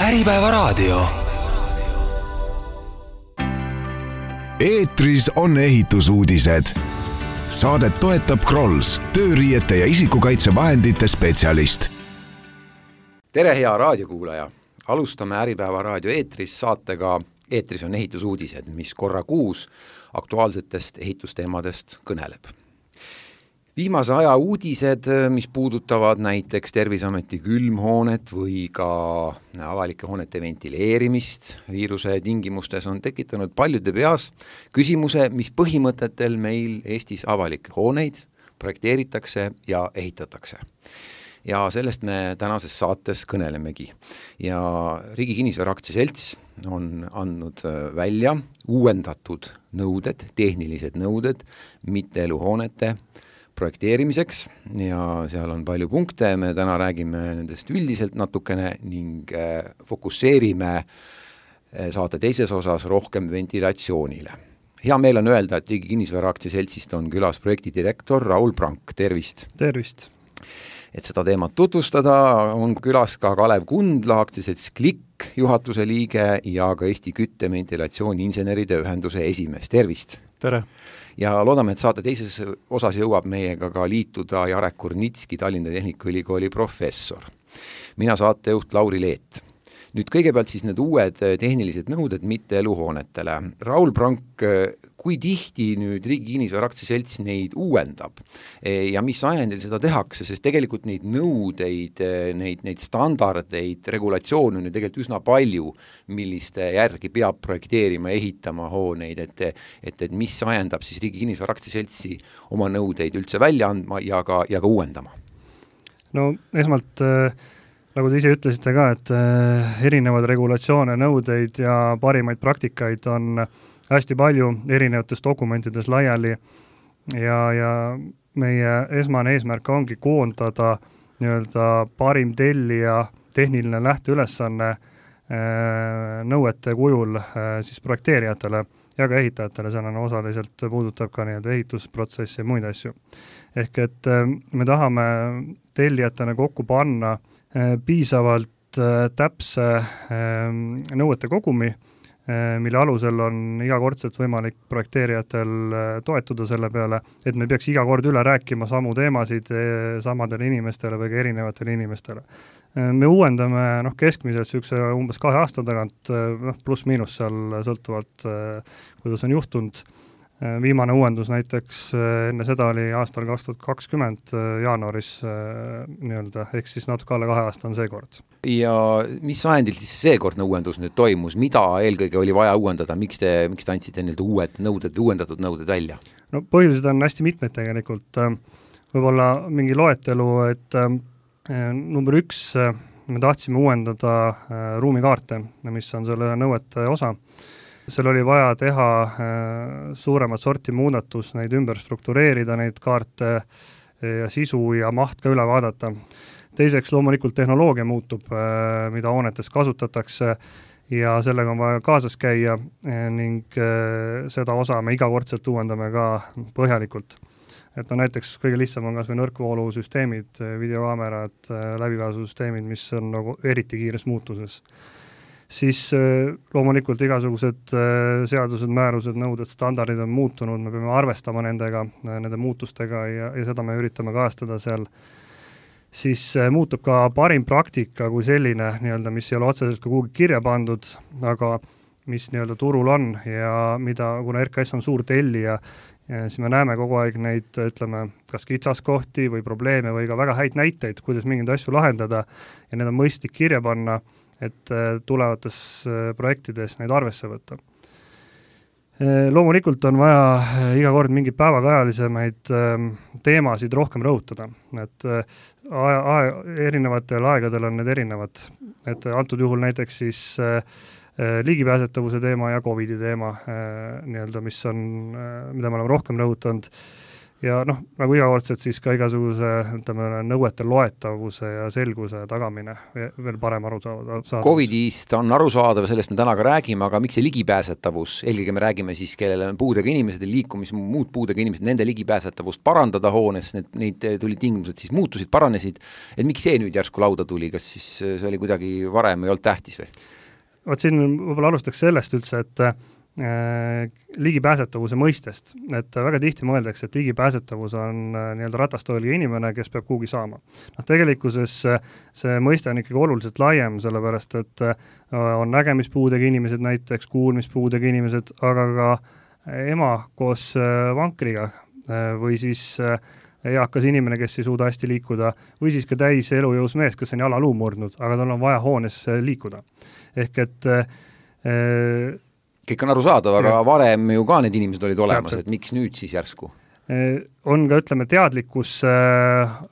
Äripäevaraadio. Eetris on ehitusuudised. Saadet toetab Krolls, tööriiete ja isikukaitsevahendite spetsialist. Tere, hea raadiokuulaja! Alustame Äripäevaraadio eetris saatega Eetris on ehitusuudised, mis korra kuus aktuaalsetest ehitusteemadest kõneleb. Viimase aja uudised, mis puudutavad näiteks Terviseameti külmhoonet või ka avalike hoonete ventileerimist viiruse tingimustes, on tekitanud paljude peas küsimuse, mis põhimõtetel meil Eestis avalikke hooneid projekteeritakse ja ehitatakse. Ja sellest me tänases saates kõnelemegi. Ja Riigi Kinnisvara Aktsiaselts on andnud välja uuendatud nõuded, tehnilised nõuded mitteeluhoonete projekteerimiseks ja seal on palju punkte, me täna räägime nendest üldiselt natukene ning fokusseerime saate teises osas rohkem ventilatsioonile. Hea meel on öelda, et Riigi Kinnisvara Aktsiaseltsist on külas projektidirektor Raul Prank, tervist! Tervist! Et seda teemat tutvustada, on külas ka Kalev Kundla, aktsiaselts Klikk, juhatuse liige ja ka Eesti Kütte Ventilatsiooni Inseneride Ühenduse esimees. Tervist! Tere! Ja loodame, et saate teises osas jõuab meiega ka liituda Jarek Kurnitski, Tallinna Tehnikaülikooli professor. Mina saatejuht Lauri Leet. Nüüd kõigepealt siis need uued tehnilised nõuded mitteeluhoonetele. Raul Prank, kui tihti nüüd Riigi Kinnisvara Aktsiaselts neid uuendab ja mis ajendil seda tehakse, sest tegelikult neid nõudeid, neid standardeid, regulatsioone on ju tegelikult üsna palju, milliste järgi peab projekteerima, ehitama hooneid, et mis ajendab siis Riigi Kinnisvara Aktsiaseltsi oma nõudeid üldse välja andma ja ka uuendama? No esmalt nagu te ise ütlesite ka, et erinevad regulatsioone, nõudeid ja parimaid praktikaid on hästi palju erinevates dokumentides laiali ja meie esmane eesmärk ongi koondada nii-öelda parim tellija tehniline lähteülesanne nõuete kujul siis projekteerijatele ja ka ehitajatele, sellena osaliselt puudutab ka nii-öelda ehitusprotsessi ja muid asju. Ehk et me tahame tellijatena kokku panna piisavalt täpse nõuete kogumi, mille alusel on igakordselt võimalik projekteerijatel toetuda selle peale, et me peaks iga kord üle rääkima samu teemasid samadele inimestele või ka erinevatele inimestele. Me uuendame keskmiselt umbes 2 aasta tagant, pluss-miinus seal sõltuvalt, kuidas on juhtunud. Viimane uuendus näiteks enne seda oli aastal 2020 jaanuaris nii-öelda, ehk siis natuke alla 2 aasta on see kord. Ja mis ajendil siis seekordne uuendus nüüd toimus? Mida eelkõige oli vaja uuendada? Miks te andsite uued nõuded, uuendatud nõuded välja? No põhjused on hästi mitmed tegelikult. Võib-olla mingi loetelu, et number 1, me tahtsime uuendada ruumikaarte, mis on selle nõuete osa. Seal oli vaja teha suuremat sorti muudatus, neid ümber struktureerida, neid kaarte ja sisu ja maht ka üle vaadata. Teiseks loomulikult tehnoloogia muutub, mida hoonetes kasutatakse ja sellega on vaja kaasas käia ning seda osa me igakordselt uuendame ka põhjalikult. Et näiteks kõige lihtsam on kas või nõrkvoolusüsteemid, videokaamerad, läbipääsusüsteemid, mis on nagu eriti kiires muutuses. Siis loomulikult igasugused seadused, määrused, nõuded, standardid on muutunud, me peame arvestama nende muutustega ja seda me üritame kajastada seal. Siis muutub ka parim praktika kui selline, nii-öelda, mis ei ole otseselt ka kuhugi kirja pandud, aga mis nii-öelda turul on ja mida, kuna RKS on suur tellija, siis me näeme kogu aeg neid, ütleme, kas kitsaskohti või probleeme või ka väga häid näiteid, kuidas mingeid asju lahendada ja need on mõistlik kirja panna, et tulevates projektides neid arvesse võtta. Loomulikult on vaja iga kord mingi päevakajalisemaid teemasid rohkem rõhutada, et erinevatel aegadel on need erinevad, et antud juhul näiteks siis ligipääsetavuse teema ja COVID-i teema, nii-öelda, mida me oleme rohkem rõhutanud ja nagu igakordselt siis ka igasuguse nõuete loetavuse ja selguse tagamine veel parem aru saada. Covidist on arusaadav, sellest me täna ka räägime, aga miks see ligipääsetavus, eelkõige me räägime siis, kellel on puudega inimesed ja muud puudega inimesed, nende ligipääsetavust parandada hoones, neid tuli tingimused siis muutusid, paranesid, et miks see nüüd järsku lauda tuli, kas siis see oli kuidagi varem ei olnud tähtis või? Siin võib-olla alustaks sellest üldse, et ligipääsetavuse mõistest, et väga tihti mõeldakse, et ligipääsetavus on nii-öelda ratastooliga inimene, kes peab kuhugi saama. Tegelikkuses see mõiste on ikkagi oluliselt laiem, sellepärast et on nägemispuudega inimesed näiteks, kuulmispuudega inimesed, aga ka ema koos vankriga või siis eakas inimene, kes ei suuda hästi liikuda, või siis ka täis elujõus mees, kes on jalaluu murdnud, aga tal on vaja hoones liikuda. Ehk et kõik on arusaadav, aga varem ju ka need inimesed olid olemas, et miks nüüd siis järsku? On ka,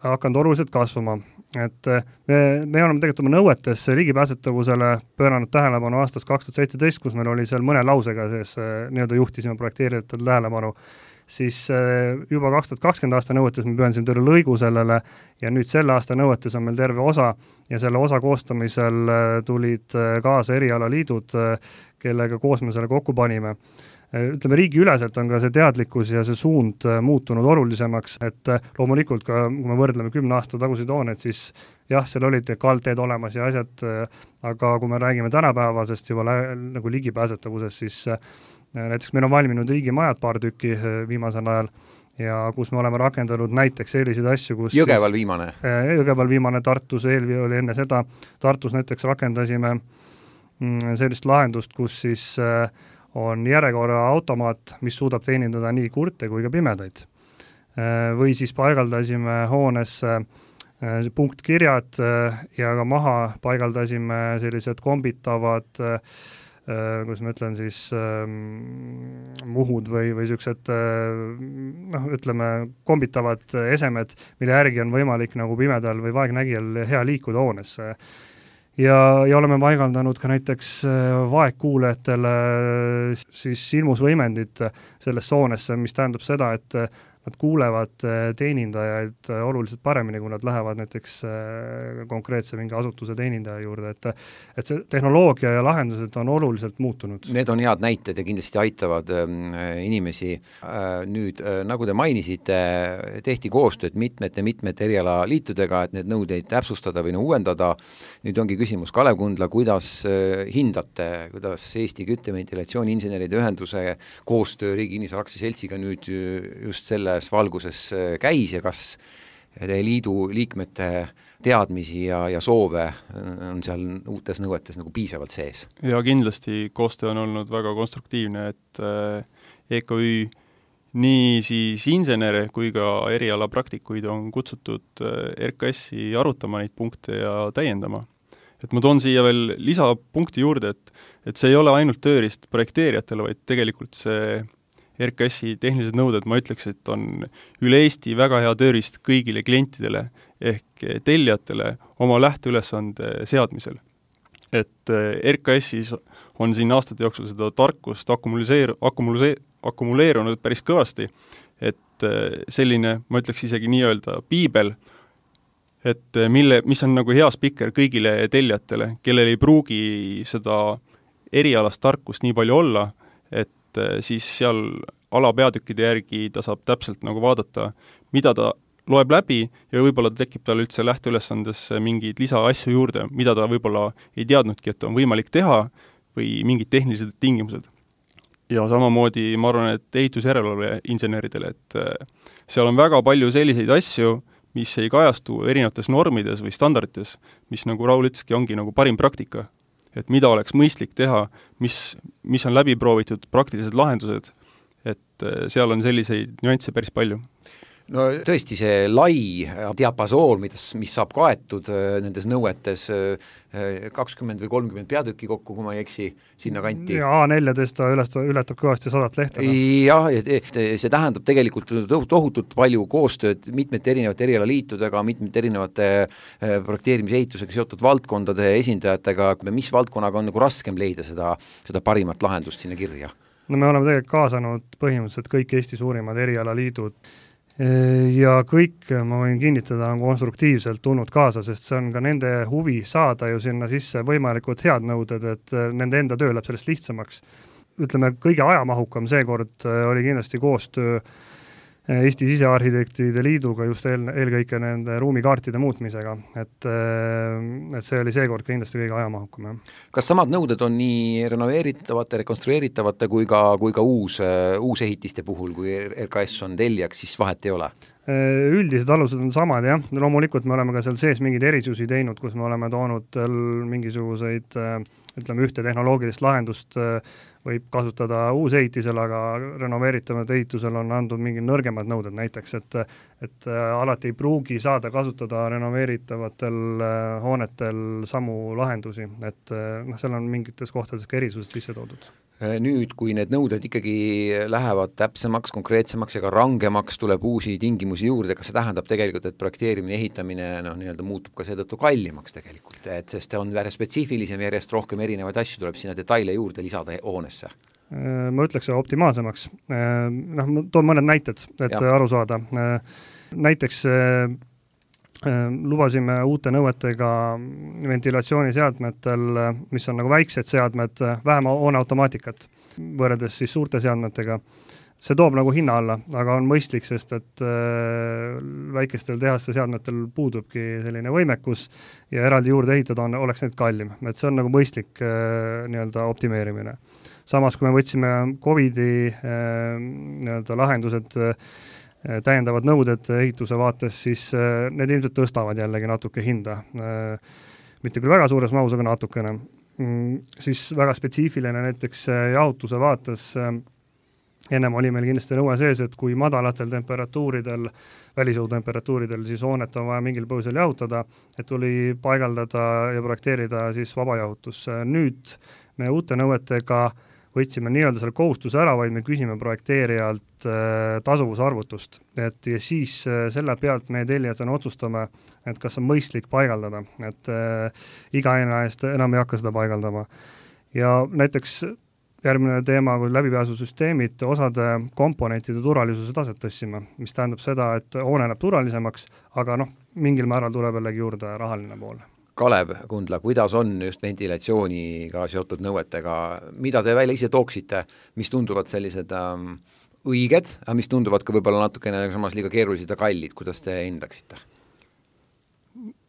hakanud oluliselt kasvama. Et me oleme tegelikult oma nõuetes ligipääsetavusele pööranud tähelepanu aastast 2017, kus meil oli seal mõne lausega sees, nii-öelda juhtisime projekteerijatel tähelepanu, siis juba 2020 aasta nõuetes me pühendasime terve lõigu sellele ja nüüd selle aasta nõuetes on meil terve osa ja selle osa koostamisel tulid kaasa erialaliidud, kellega koos me selle kokku panime. Ütleme, riigiüleselt on ka see teadlikkus ja see suund muutunud olulisemaks, et loomulikult ka, kui me võrdleme 10 aasta tagusid hooneid, siis jah, seal olid kaldteed olemas ja asjad, aga kui me räägime tänapäevasest juba nagu ligipääsetavusest, siis näiteks meil on valminud riigimajad paar tükki viimasel ajal ja kus me oleme rakendanud näiteks selliseid asju, kus Jõgeval viimane, Tartus eelvi oli enne seda, Tartus näiteks rakendasime sellist lahendust, kus siis on järjekorra automaat, mis suudab teenindada nii kurte kui ka pimedaid. Või siis paigaldasime hoonesse punktkirjad ja ka maha paigaldasime sellised kombitavad, kuidas ma ütlen siis, muhud või sellised, ütleme, kombitavad esemed, mille järgi on võimalik nagu pimedal või vaegnägijal hea liikuda hoonesse. Ja oleme paigaldanud ka näiteks vaegkuulajatele siis ilmusvõimendid sellesse hoonesse, mis tähendab seda, et nad kuulevad teenindajaid oluliselt paremini, kui nad lähevad näiteks konkreetse mingi asutuse teenindaja juurde, et see tehnoloogia ja lahendused on oluliselt muutunud. Need on head näited ja kindlasti aitavad inimesi. Nüüd, nagu te mainisite, tehti koostööd mitmete erialaliitudega, et need nõudeid täpsustada või uuendada. Nüüd ongi küsimus, Kalev Kundla, kuidas hindate, kuidas Eesti Kütteventilatsiooni-inseneride ühenduse koostöö Riigi Kinnisvara Aktsiaseltsiga nüüd just selle valguses käis ja kas teie liidu liikmete teadmisi ja soove on seal uutes nõuetes nagu piisavalt sees? Ja kindlasti koostöö on olnud väga konstruktiivne, et EKÜ nii siis insenere kui ka erialapraktikuid on kutsutud RKS-i arutama neid punkte ja täiendama. Et ma toon siia veel lisapunkti juurde, et see ei ole ainult tööriist projekteerijatele, vaid tegelikult see RKS-i tehnilised nõuded, ma ütleks, et on üle Eesti väga hea tööriist kõigile klientidele ehk tellijatele oma lähteülesande seadmisel. Et RKS-is on siin aastate jooksul seda tarkust akumuleerunud päris kõvasti, et selline, ma ütleks isegi nii-öelda piibel, et mis on nagu hea spikker kõigile tellijatele, kellel ei pruugi seda erialast tarkust nii palju olla, et siis seal alapeatükkide järgi ta saab täpselt nagu vaadata, mida ta loeb läbi ja võib-olla tekib tal üldse lähteülesandesse mingeid lisaasju juurde, mida ta võib-olla ei teadnudki, et on võimalik teha või mingid tehnilised tingimused. Ja samamoodi ma arvan, et ehitusjärelevalve inseneridele, et seal on väga palju selliseid asju, mis ei kajastu erinevates normides või standardites, mis nagu Raul ütleski, ongi nagu parim praktika. Et mida oleks mõistlik teha, mis on läbi proovitud praktilised lahendused, et seal on selliseid nüansse päris palju. No tõesti see lai diapasoon, mis saab kaetud nendes nõuetes 20 või 30 peatükki kokku, kui ma ei eksi, sinna kanti. Ja A14 ületab kõvasti 100 lehte. Jah, see tähendab tegelikult tohutult palju koostööd mitmete erinevate erialaliitudega, mitmete erinevate projekteerimise ehitusega seotud valdkondade esindajatega, mis valdkonnaga on nagu raskem leida seda parimat lahendust sinna kirja? No me oleme tegelikult kaasanud põhimõtteliselt kõik Eesti suurimad erialaliidud ja kõik, ma võin kinnitada, on konstruktiivselt tulnud kaasa, sest see on ka nende huvi saada ju sinna sisse võimalikult head nõuded, et nende enda töö läheb sellest lihtsamaks. Ütleme, kõige ajamahukam seekord oli kindlasti koostöö Eesti Sisearhitektide Liiduga just eelkõike nende ruumikaartide muutmisega, et see oli seekord kindlasti kõige ajamahukam. Kas samad nõuded on nii renoveeritavate, rekonstrueeritavate kui ka uusehitiste puhul, kui RKS on tellijaks, siis vahet ei ole? Üldised alused on samad, jah. Loomulikult me oleme ka seal sees mingeid erisusi teinud, kus me oleme toonud mingisuguseid, ütleme, ühte tehnoloogilist lahendust võib kasutada uusehitisel, aga renoveeritavad ehitusel on andnud mingi nõrgemad nõuded näiteks, et alati ei pruugi saada kasutada renoveeritavatel hoonetel samu lahendusi, et seal on mingites kohtades ka erisused sisse toodud. Nüüd, kui need nõuded ikkagi lähevad täpsemaks, konkreetsemaks ja ka rangemaks, tuleb uusi tingimusi juurde, kas see tähendab tegelikult, et projekteerimine, ehitamine nii-öelda muutub ka seetõttu kallimaks tegelikult, sest on järjest spetsiifilisem, järjest rohkem erinevaid asju tuleb sinna detaile juurde lisada hoonesse? Ma ütleks optimaalsemaks. Ma toon mõned näited, et aru saada. Näiteks lubasime uute nõuetega ventilatsiooniseadmetel, mis on nagu väiksed seadmed, vähem hooneautomaatikat võrreldes siis suurte seadmetega. See toob nagu hinna alla, aga on mõistlik, sest et väikestel tehaste seadmetel puudubki selline võimekus ja eraldi juurde ehitada oleks need kallim. Et see on nagu mõistlik nii-öelda optimeerimine. Samas, kui me võtsime COVID-i nii-öelda lahendused täiendavad nõuded ehituse vaates, siis need ilmselt tõstavad jällegi natuke hinda. Mitte küll väga suures mahus, aga natukene. Siis väga spetsiifiline näiteks jahutuse vaates ennem oli meil kindlasti nõue sees, et kui madalatel temperatuuridel, välisõutemperatuuridel, siis hoonet on vaja mingil põhjusel jahutada, et tuli paigaldada ja projekteerida siis vabajahutus. Nüüd me uute nõuetega võtsime nii-öelda selle kohustuse ära, vaid me küsime projekteerijalt tasuvusarvutust. Ja siis selle pealt meie tellijatena otsustame, et kas on mõistlik paigaldada, et iga aina eest enam ei hakka seda paigaldama. Ja näiteks järgmine teema, kui läbipääsusüsteemid, osade komponentide turvalisuse taset tõstsime, mis tähendab seda, et hoone läheb turvalisemaks, aga mingil määral tuleb jällegi juurde rahaline pool. Kalev Kundla, kuidas on just ventilatsiooniga seotud nõuetega, mida te välja ise tooksite, mis tunduvad sellised õiged, aga mis tunduvad ka võib-olla natukene samas liiga keerulised ja kallid, kuidas te hindaksite?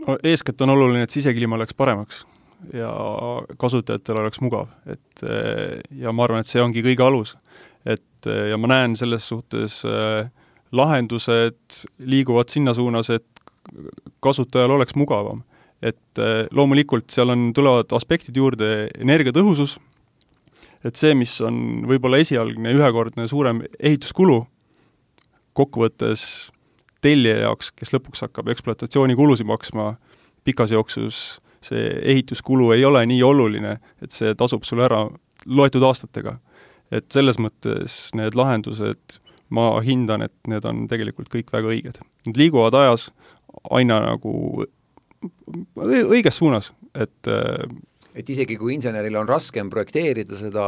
No, eeskätt on oluline, et sisekliima oleks paremaks ja kasutajatel oleks mugav. Ja ma arvan, et see ongi kõige alus. Ja ma näen selles suhtes lahendused liiguvad sinna suunas, et kasutajal oleks mugavam. Et loomulikult seal tulevad aspektid juurde energiatõhusus, et see, mis on võib-olla esialgne ühekordne suurem ehituskulu, kokkuvõttes tellija jaoks, kes lõpuks hakkab ekspluatatsiooni maksma, pikas jooksus see ehituskulu ei ole nii oluline, et see tasub sulle ära loetud aastatega. Et selles mõttes need lahendused, ma hindan, et need on tegelikult kõik väga õiged. Need liiguvad ajas aina nagu õiges suunas, et isegi kui inseneril on raskem projekteerida seda,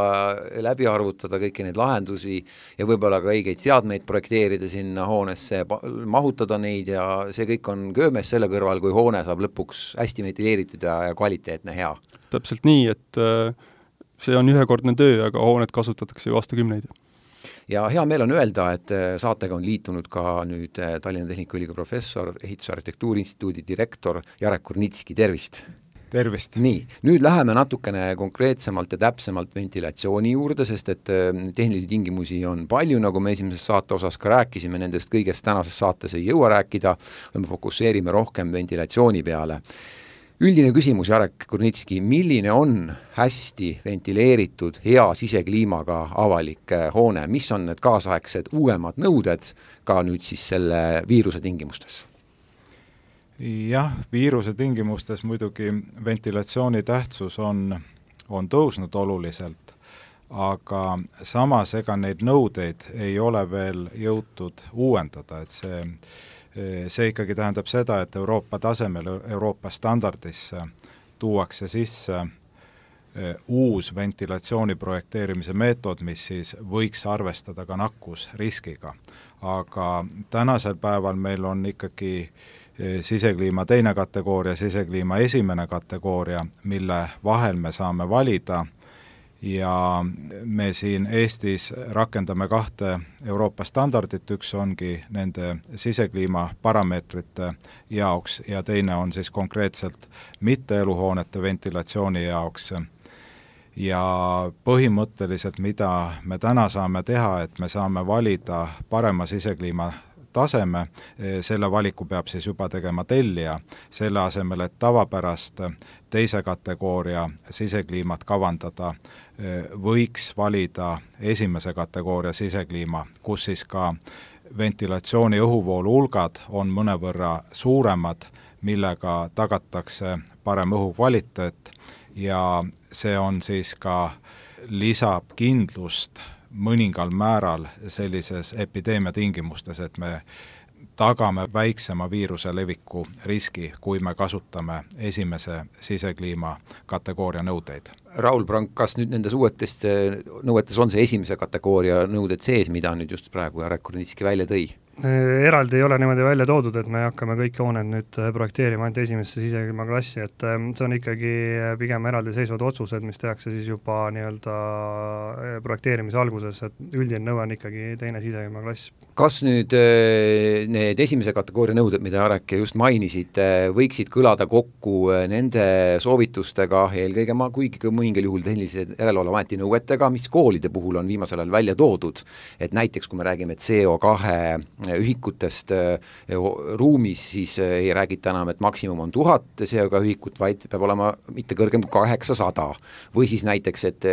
läbi arvutada kõiki neid lahendusi ja võib-olla ka õigeid seadmeid projekteerida sinna hoonesse, mahutada neid ja see kõik on köömes selle kõrval, kui hoone saab lõpuks hästi ventileeritud ja kvaliteetne, hea. Täpselt nii, et see on ühekordne töö, aga hoonet kasutatakse ju aastakümneid. Ja hea meel on öelda, et saatega on liitunud ka nüüd Tallinna Tehnikaülikooli professor, Ehitusarhitektuuri instituudi direktor Jarek Kurnitski, tervist! Tervist! Nii, nüüd läheme natukene konkreetsemalt ja täpsemalt ventilatsiooni juurde, sest et tehnilisi tingimusi on palju, nagu me esimeses saate osas ka rääkisime, nendest kõigest tänases saates ei jõua rääkida, me fokusseerime rohkem ventilatsiooni peale. Üldine küsimus, Jarek Kurnitski, milline on hästi ventileeritud, hea sisekliimaga avalik hoone, mis on need kaasaegsed uuemad nõuded ka nüüd siis selle viiruse tingimustes? Jah, viiruse tingimustes muidugi ventilatsiooni tähtsus on tõusnud oluliselt, aga samas ega neid nõudeid ei ole veel jõutud uuendada, et see ikkagi tähendab seda, et Euroopa tasemel, Euroopa standardisse tuuakse sisse uus ventilatsiooni projekteerimise meetod, mis siis võiks arvestada ka nakkusriskiga. Aga tänasel päeval meil on ikkagi sisekliima teine kategooria, sisekliima esimene kategooria, mille vahel me saame valida ja me siin Eestis rakendame 2 Euroopa standardit, üks ongi nende sisekliima parameetrite jaoks ja teine on siis konkreetselt mitteeluhoonete ventilatsiooni jaoks. Ja põhimõtteliselt, mida me täna saame teha, et me saame valida parema sisekliima taseme, selle valiku peab siis juba tegema tellija, selle asemel, et tavapärast teise kategooria sisekliimat kavandada, võiks valida esimese kategooria sisekliima, kus siis ka ventilatsiooni õhuvoolu hulgad on mõnevõrra suuremad, millega tagatakse parem õhukvaliteet ja see on siis ka lisab kindlust mõningal määral sellises epideemia tingimustes, et me tagame väiksema viiruse leviku riski, kui me kasutame esimese sisekliima kategooria nõudeid. Raul Prank, kas nüüd nendes uuetes nõuetes on see esimese kategooria nõuded sees, mida nüüd just praegu Jarek Kornitski välja tõi? Eraldi ei ole niimoodi välja toodud, et me hakkame kõik hooned nüüd projekteerima ainult esimesse sisekliima klassi, et see on ikkagi pigem eraldiseisvad otsused, mis tehakse siis juba nii-öelda projekteerimise alguses, et üldine nõue on ikkagi teine sisekliima klass. Kas nüüd need esimese kategooria nõuded, mida Jarek just mainisid, võiksid kõlada kokku nende soovitustega, eelkõige kuigi mõningal juhul tehnilise järelevalveameti nõuetega, mis koolide puhul on viimasel ajal välja toodud, et näiteks kui me räägime CO2 ühikutest ruumis, siis ei räägita enam, et maksimum on 1000 CO2 ühikut, vaid peab olema mitte kõrgem kui 800. Või siis näiteks, et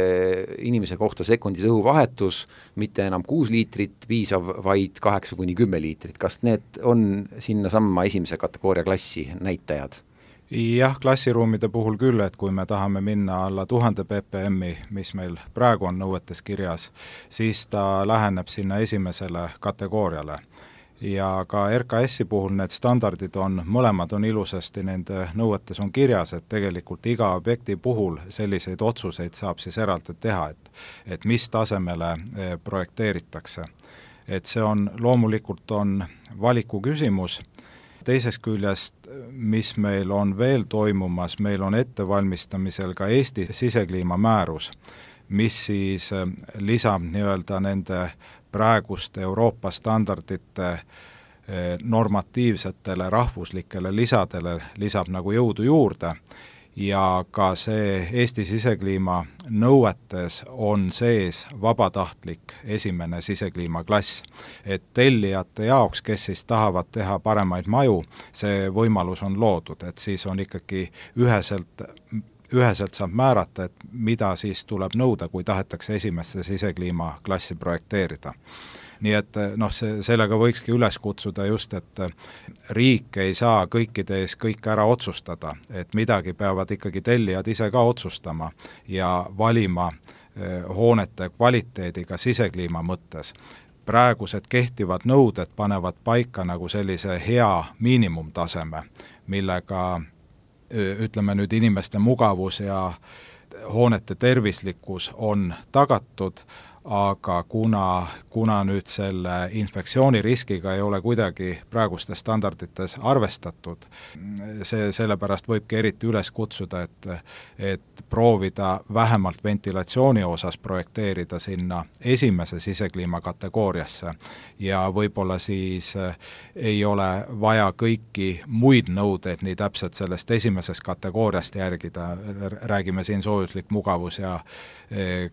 inimese kohta sekundis õhuvahetus, mitte enam 6 liitrit piisav, vaid 8-10 liitrit. Kas need on sinna samma esimese kategooria klassi näitajad? Jah, klassiruumide puhul küll, et kui me tahame minna alla 1000 ppm-i, mis meil praegu on nõuetes kirjas, siis ta läheneb sinna esimesele kategooriale. Ja ka RKS-i puhul need standardid on, mõlemad on ilusasti, nende nõuetes on kirjas, et tegelikult iga objekti puhul selliseid otsuseid saab siis eraldi teha, et mis tasemele projekteeritakse. Et see on loomulikult on valiku küsimus. Teisest küljest, mis meil on veel toimumas, meil on ettevalmistamisel ka Eesti sisekliima määrus, mis siis lisab nii-öelda nende praeguste Euroopa standardite normatiivsetele rahvuslikele lisadele lisab nagu jõudu juurde ja ka see Eesti sisekliima nõuetes on sees vabatahtlik esimene sisekliima klass. Et tellijate jaoks, kes siis tahavad teha paremaid maju, see võimalus on loodud, et siis on ikkagi üheselt saab määrata, et mida siis tuleb nõuda, kui tahetakse esimesse sisekliima klassi projekteerida. Nii et sellega võikski üles kutsuda just, et riik ei saa kõikide ees kõik ära otsustada, et midagi peavad ikkagi tellijad ise ka otsustama ja valima hoonete kvaliteediga sisekliima mõttes. Praegused kehtivad nõuded panevad paika nagu sellise hea miinimumtaseme, millega ütleme nüüd inimeste mugavus ja hoonete tervislikkus on tagatud, aga kuna nüüd selle infektsiooniriskiga ei ole kuidagi praegustes standardites arvestatud, sellepärast võibki eriti üles kutsuda, et proovida vähemalt ventilatsiooni osas projekteerida sinna esimese sisekliima kategooriasse ja võib-olla siis ei ole vaja kõiki muid nõudeid nii täpselt sellest esimesest kategooriast järgida, räägime siin soojuslik mugavus ja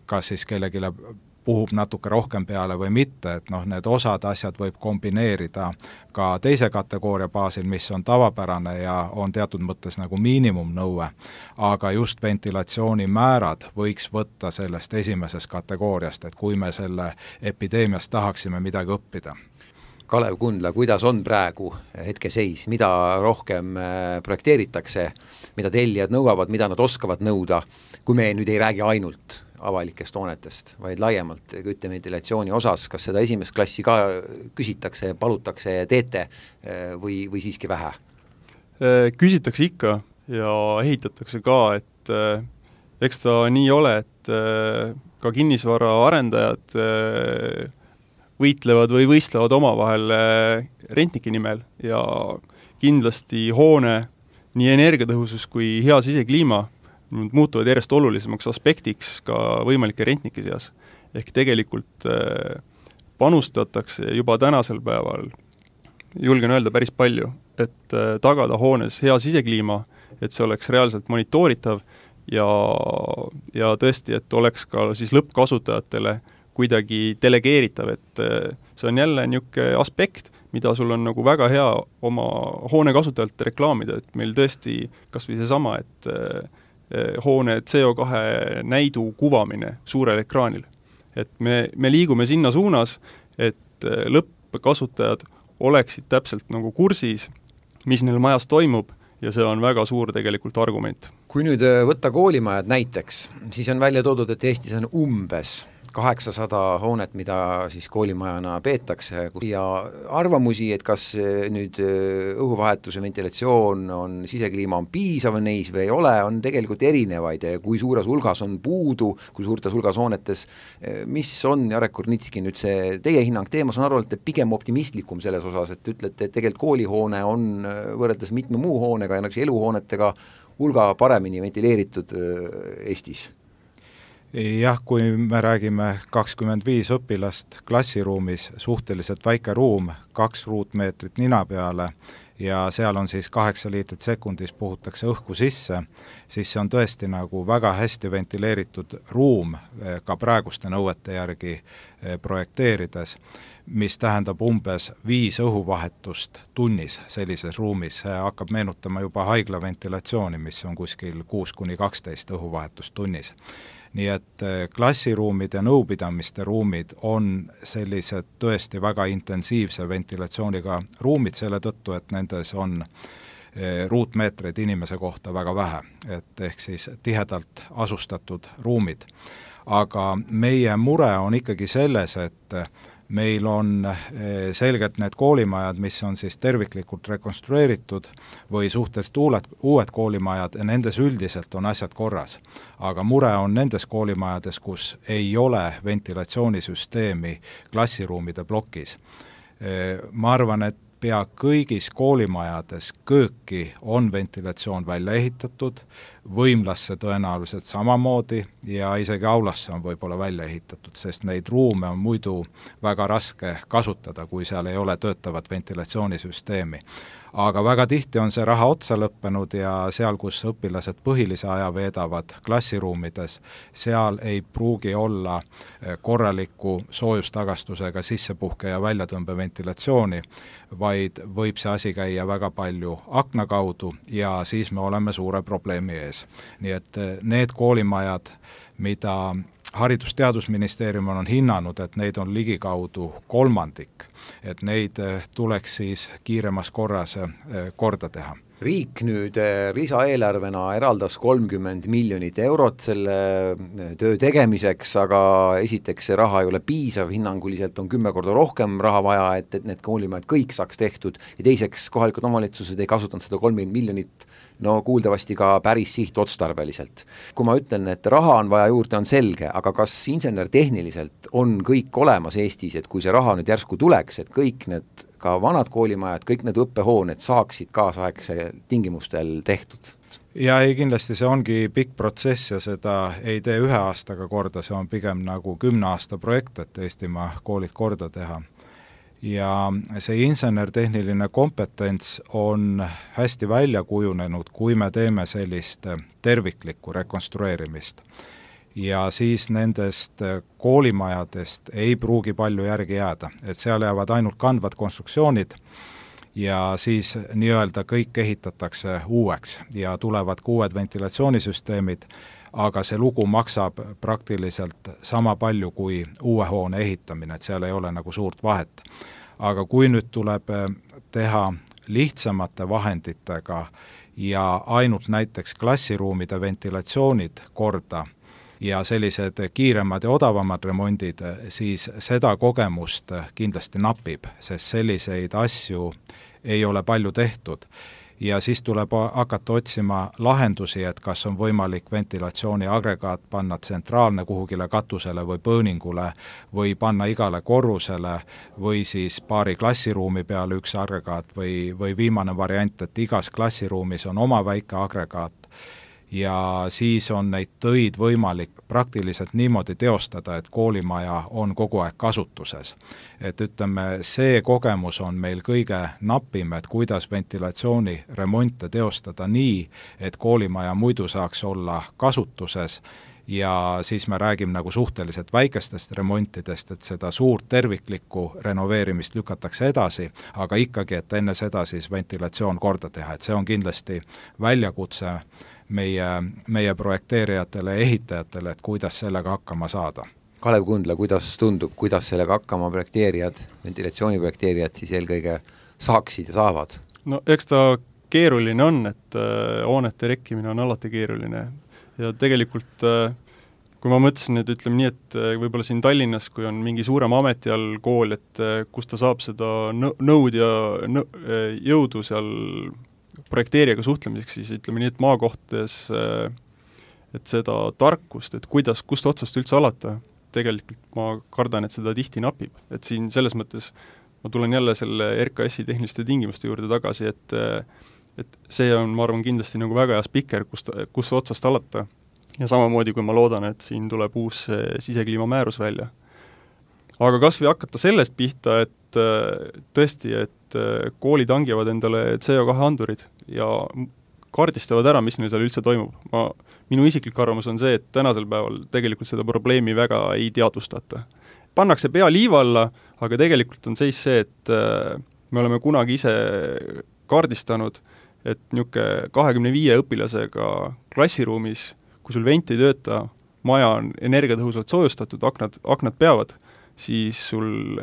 kas siis kellegile puhub natuke rohkem peale või mitte, et need osad asjad võib kombineerida ka teise kategooria baasil, mis on tavapärane ja on teatud mõttes nagu miinimumnõue, aga just ventilatsiooni määrad võiks võtta sellest esimesest kategooriast, et kui me selle epideemiast tahaksime midagi õppida. Kalev Kundla, kuidas on praegu hetkeseis, mida rohkem projekteeritakse, mida tellijad nõuavad, mida nad oskavad nõuda, kui me nüüd ei räägi ainult avalikest hoonetest, vaid laiemalt kütteventilatsiooni osas, kas seda esimest klassi ka küsitakse, palutakse, teete või siiski vähe? Küsitakse ikka ja ehitatakse ka, eks ta nii ole, et ka kinnisvara arendajad võitlevad või võistlevad omavahel rentnike nimel ja kindlasti hoone nii energiatõhusus kui hea sisekliima muutuvad järjest olulisemaks aspektiks ka võimalike rentnike seas. Ehk tegelikult panustatakse juba tänasel päeval, julgen öelda päris palju, et tagada hoones hea sisekliima, et see oleks reaalselt monitoritav ja tõesti, et oleks ka siis lõppkasutajatele kuidagi delegeeritav, et see on jälle niisugune aspekt, mida sul on nagu väga hea oma hoone kasutajalt reklaamida, et meil tõesti kas või seesama, et hoone CO2 näidu kuvamine suurel ekraanil. Et me liigume sinna suunas, et lõppkasutajad oleksid täpselt nagu kursis, mis neil majas toimub ja see on väga suur tegelikult argument. Kui nüüd võtta koolimajad näiteks, siis on välja toodud, et Eestis on umbes 800 hoonet, mida siis koolimajana peetakse ja arvamusi, et kas nüüd õhuvahetuse ventilatsioon on, sisekliima on piisav neis või ei ole, on tegelikult erinevaid, kui suures hulgas on puudu, kui suurtes hulgas hoonetes, mis on, Jarek Kurnitski, nüüd see teie hinnang teema, saan aru, et pigem optimistlikum selles osas, et ütlete, et tegelikult koolihoone on võrreldes mitme muu hoonega ja eluhoonetega hulga paremini ventileeritud Eestis. Jah, kui me räägime 25 õpilast klassiruumis, suhteliselt väike ruum, 2 ruutmeetrit nina peale ja seal on siis 8 liitrit sekundis puhutakse õhku sisse, siis see on tõesti nagu väga hästi ventileeritud ruum ka praeguste nõuete järgi projekteerides, mis tähendab umbes 5 õhuvahetust tunnis sellises ruumis. See hakkab meenutama juba haigla ventilatsiooni, mis on kuskil 6-12 õhuvahetust tunnis. Nii et klassiruumid ja nõupidamiste ruumid on sellised tõesti väga intensiivse ventilatsiooniga ruumid selle tõttu, et nendes on ruutmeetreid inimese kohta väga vähe, et ehk siis tihedalt asustatud ruumid. Aga meie mure on ikkagi selles, et meil on selgelt need koolimajad, mis on siis terviklikult rekonstrueeritud või suhteliselt uued koolimajad ja nendes üldiselt on asjad korras. Aga mure on nendes koolimajades, kus ei ole ventilatsioonisüsteemi klassiruumide plokis. Ma arvan, et pea kõigis koolimajades kööki on ventilatsioon välja ehitatud, võimlasse tõenäoliselt samamoodi ja isegi aulasse on võib-olla välja ehitatud, sest neid ruume on muidu väga raske kasutada, kui seal ei ole töötavat ventilatsioonisüsteemi. Aga väga tihti on see raha otsa lõppenud ja seal, kus õpilased põhilise aja veedavad klassiruumides, seal ei pruugi olla korraliku soojustagastusega sissepuhke ja väljatõmbe ventilatsiooni, vaid võib see asi käia väga palju akna kaudu ja siis me oleme suure probleemi ees. Nii et need koolimajad, mida Haridus-Teadusministeerium on hinnanud, et neid on ligikaudu 1/3, et neid tuleks siis kiiremas korras korda teha. Riik nüüd lisaeelarvena eraldas 30 miljonit eurot selle töö tegemiseks, aga esiteks see raha ei ole piisav, hinnanguliselt on 10 korda rohkem raha vaja, et need koolimajad kõik saaks tehtud ja teiseks kohalikud omavalitsused ei kasutanud seda 30 miljonit kuuldavasti ka päris sihtotstarbeliselt. Kui ma ütlen, et raha on vaja juurde, on selge, aga kas insenertehniliselt on kõik olemas Eestis, et kui see raha nüüd järsku tuleks, et kõik need ka vanad koolimajad, kõik need õppehooned saaksid kaasaegse tingimustel tehtud? Ja ei, kindlasti see ongi pikk protsess ja seda ei tee 1 aastaga korda, see on pigem nagu 10 aasta projekt, et Eestimaa koolid korda teha. Ja see insenertehniline kompetents on hästi välja kujunenud, kui me teeme sellist terviklikku rekonstrueerimist. Ja siis nendest koolimajadest ei pruugi palju järgi jääda, et seal jäävad ainult kandvad konstruktsioonid ja siis nii-öelda kõik ehitatakse uueks ja tulevad uued ventilatsioonisüsteemid, aga see lugu maksab praktiliselt sama palju kui uue hoone ehitamine, et seal ei ole nagu suurt vahet. Aga kui nüüd tuleb teha lihtsamate vahenditega ja ainult näiteks klassiruumide ventilatsioonid korda ja sellised kiiremad ja odavamad remondid, siis seda kogemust kindlasti napib, sest selliseid asju ei ole palju tehtud. ja siis tuleb hakata otsima lahendusi, et kas on võimalik ventilatsiooniagregaat panna tsentraalne kuhugile katusele või põõningule või panna igale korrusele või siis paari klassiruumi peale üks agregaat või viimane variant, et igas klassiruumis on oma väike agregaat ja siis on neid töid võimalik praktiliselt niimoodi teostada, et koolimaja on kogu aeg kasutuses. Et ütleme, see kogemus on meil kõige napim, et kuidas ventilatsiooniremonte teostada nii, et koolimaja muidu saaks olla kasutuses ja siis me räägime nagu suhteliselt väikestest remontidest, et seda suurt terviklikku renoveerimist lükatakse edasi, aga ikkagi, et enne seda siis ventilatsioon korda teha, et see on kindlasti väljakutse meie projekteerijatele ja ehitajatele, et kuidas sellega hakkama saada. Kalev Kundla, kuidas tundub, kuidas sellega hakkama projekteerijad, ventilatsiooniprojekteerijad siis eelkõige saaksid ja saavad? No eks ta keeruline on, et hoonete rekkimine on alati keeruline ja tegelikult kui ma mõtlesin, et ütleme nii, et võib-olla siin Tallinnas, kui on mingi suurem ameti all kool, et kus ta saab seda nõud ja jõudu seal projekteerijaga suhtlemiseks, siis ütleme nii, et maakohtades, et seda tarkust, et kust otsast üldse alata, tegelikult ma kardan, et seda tihti napib. Et siin selles mõttes ma tulen jälle selle RKS-i tehniliste tingimuste juurde tagasi, et see on, ma arvan, kindlasti nagu väga hea spikker, kust otsast alata. Ja samamoodi, kui ma loodan, et siin tuleb uus sisekliimamäärus välja. Aga kas või hakata sellest pihta, et tõesti, et koolid hangivad endale CO2 andurid ja kaardistavad ära, mis neil seal üldse toimub. Minu isiklik arvamus on see, et tänasel päeval tegelikult seda probleemi väga ei teadvustata. Pannakse pea liiva alla, aga tegelikult on seis see, et me oleme kunagi ise kaardistanud, et niisugune 25 õpilasega klassiruumis, kui sul vent ei tööta, maja on energiatõhusalt soojustatud, aknad peavad, siis sul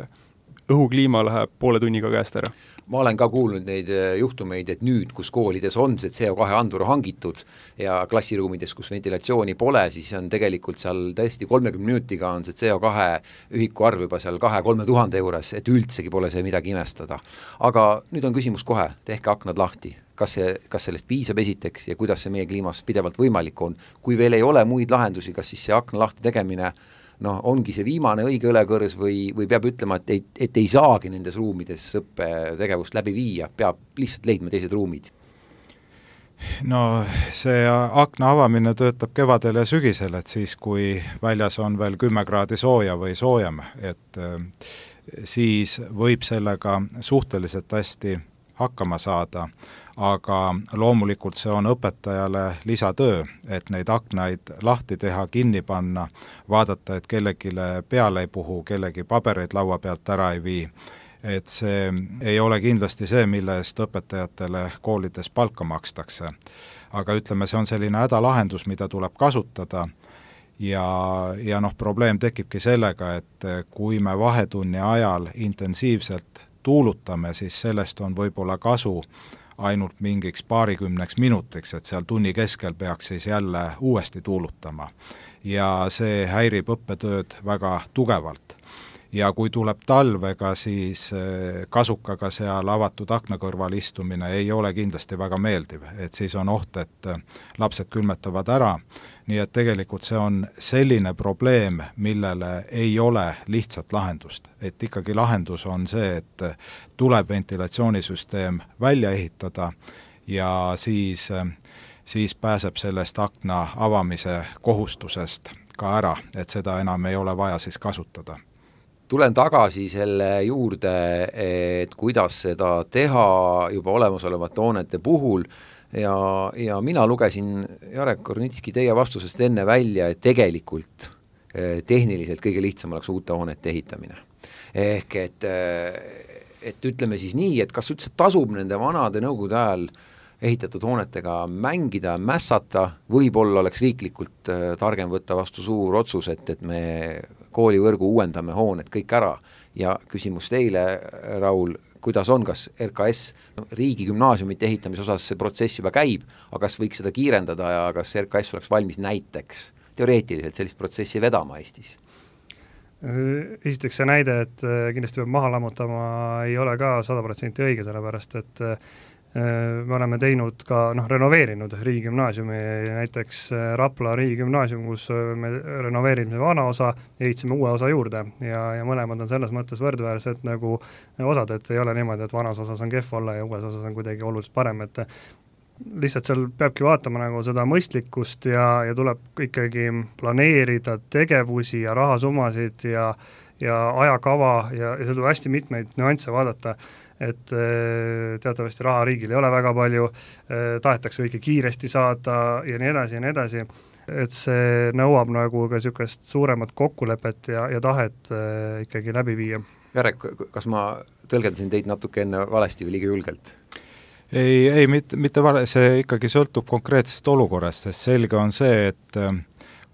õhukliima läheb poole tunniga käest ära. Ma olen ka kuulnud neid juhtumeid, et nüüd, kus koolides on see CO2 andur hangitud ja klassiruumides, kus ventilatsiooni pole, siis on tegelikult seal tõesti 30 minutiga on see CO2 ühiku arv juba seal 2-3 tuhande juures, et üldsegi pole see midagi imestada. Aga nüüd on küsimus kohe, tehke aknad lahti. Kas sellest piisab esiteks ja kuidas see meie kliimas pidevalt võimalik on? Kui veel ei ole muid lahendusi, kas siis see akna lahti tegemine ongi see viimane õige õlekõrs või peab ütlema, et ei saagi nendes ruumides õppetegevust läbi viia, peab lihtsalt leidma teised ruumid? No see akna avamine töötab kevadel ja sügisel, et siis kui väljas on veel 10 kraadi sooja või soojem, et siis võib sellega suhteliselt hästi hakkama saada, aga loomulikult see on õpetajale lisatöö, et neid aknaid lahti teha, kinni panna, vaadata, et kellegile peale ei puhu, kellegi pabereid laua pealt ära ei vii. Et see ei ole kindlasti see, mille eest õpetajatele koolides palka makstakse. Aga ütleme, see on selline hädalahendus, mida tuleb kasutada ja probleem tekibki sellega, et kui me vahetunni ajal intensiivselt tuulutame, siis sellest on võib-olla kasu ainult mingiks 20 minutiks, et seal tunni keskel peaks siis jälle uuesti tuulutama. Ja see häirib õppetööd väga tugevalt. Ja kui tuleb talvega, siis kasukaga seal avatud akna kõrval istumine ei ole kindlasti väga meeldiv, et siis on oht, et lapsed külmetavad ära. Nii et tegelikult see on selline probleem, millele ei ole lihtsat lahendust. Et ikkagi lahendus on see, et tuleb ventilatsioonisüsteem välja ehitada ja siis pääseb sellest akna avamise kohustusest ka ära, et seda enam ei ole vaja siis kasutada. Tulen tagasi selle juurde, et kuidas seda teha juba olemasolevate hoonete puhul ja mina lugesin Jarek Kornitski teie vastusest enne välja, et tegelikult tehniliselt kõige lihtsam oleks uute hoonete ehitamine. Ehk et ütleme siis nii, et kas üldse tasub nende vanade nõukogude ajal ehitatud hoonetega mängida, mässata, võib-olla oleks riiklikult targem võtta vastu suur otsus, et me koolivõrgu uuendame hooned kõik ära ja küsimus teile, Raul, kuidas on, kas RKS riigi gümnaasiumite ehitamise osas see protsess juba käib, aga kas võiks seda kiirendada ja kas RKS oleks valmis näiteks teoreetiliselt sellist protsessi vedama Eestis? Esiteks see näide, et kindlasti peab maha lammutama, ei ole ka 100% õige, sellepärast et me oleme teinud ka, renoveerinud riigigümnaasiumi, näiteks Rapla riigigümnaasium, kus me renoveerisime vana osa ja ehitasime uue osa juurde ja mõlemad on selles mõttes võrdväärsed nagu osad, et ei ole niimoodi, et vanas osas on kehv olla ja uues osas on kuidagi oluliselt parem, et lihtsalt seal peabki vaatama nagu seda mõistlikkust ja tuleb ikkagi planeerida tegevusi ja rahasummasid ja ajakava ja seal tuleb hästi mitmeid nüansse vaadata, et teatavasti raha riigil ei ole väga palju, tahetakse kõike kiiresti saada ja nii edasi, et see nõuab nagu ka niisugust suuremat kokkulepet ja tahet ikkagi läbi viia. Jarek, kas ma tõlgendasin teid natuke enne valesti või liiga julgelt? Ei, mitte vale, see ikkagi sõltub konkreetsest olukorrast, sest selge on see, et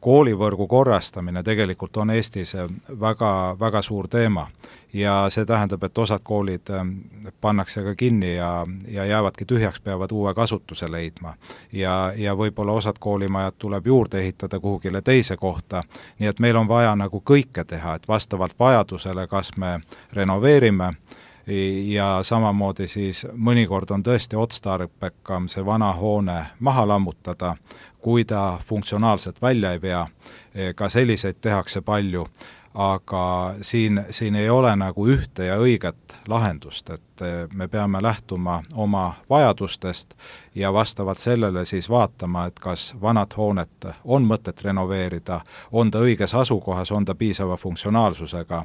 koolivõrgu korrastamine tegelikult on Eestis väga, väga suur teema ja see tähendab, et osad koolid pannakse ka kinni ja jäävadki tühjaks, peavad uue kasutuse leidma. Ja võib-olla osad koolimajad tuleb juurde ehitada kuhugile teise kohta, nii et meil on vaja nagu kõike teha, et vastavalt vajadusele, kas me renoveerime ja samamoodi siis mõnikord on tõesti otstarbekam see vana hoone maha lammutada, kui ta funktsionaalselt välja ei vea, ka selliseid tehakse palju, aga siin ei ole nagu ühte ja õiget lahendust, et me peame lähtuma oma vajadustest ja vastavalt sellele siis vaatama, et kas vanad hoonet on mõtet renoveerida, on ta õiges asukohas, on ta piisava funktsionaalsusega,